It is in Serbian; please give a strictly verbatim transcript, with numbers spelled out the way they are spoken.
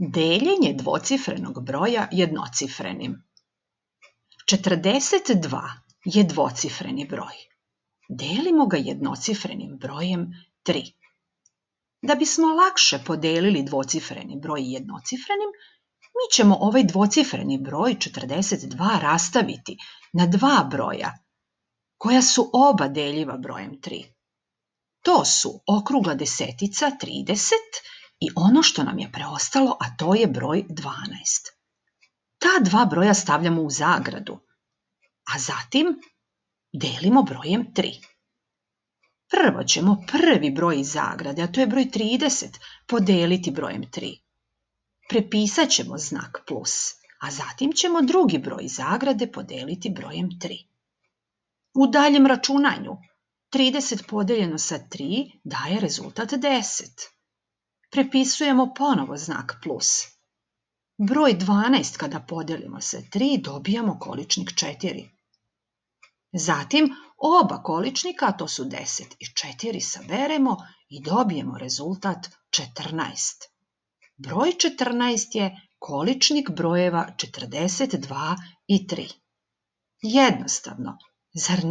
Deljenje dvocifrenog broja jednocifrenim. četrdeset dva je dvocifreni broj. Delimo ga jednocifrenim brojem tri. Da bismo lakše podelili dvocifreni broj jednocifrenim, mi ćemo ovaj dvocifreni broj četrdeset dva rastaviti na dva broja koja su oba deljiva brojem tri. To su okrugla desetica trideset i ono što nam je preostalo, a to je broj dvanaest. Ta dva broja stavljamo u zagradu, a zatim delimo brojem tri. Prvo ćemo prvi broj iz zagrade, a to je broj trideset, podeliti brojem tri. Prepisat ćemo znak plus, a zatim ćemo drugi broj iz zagrade podeliti brojem tri. U daljem računanju trideset podeljeno sa tri daje rezultat deset. Prepisujemo ponovo znak plus. Broj dvanaest kada podelimo sa tri dobijamo količnik četiri. Zatim oba količnika, a to su deset i četiri, saberemo i dobijemo rezultat četrnaest. Broj četrnaest je količnik brojeva četrdeset dva i tri. Jednostavno, zar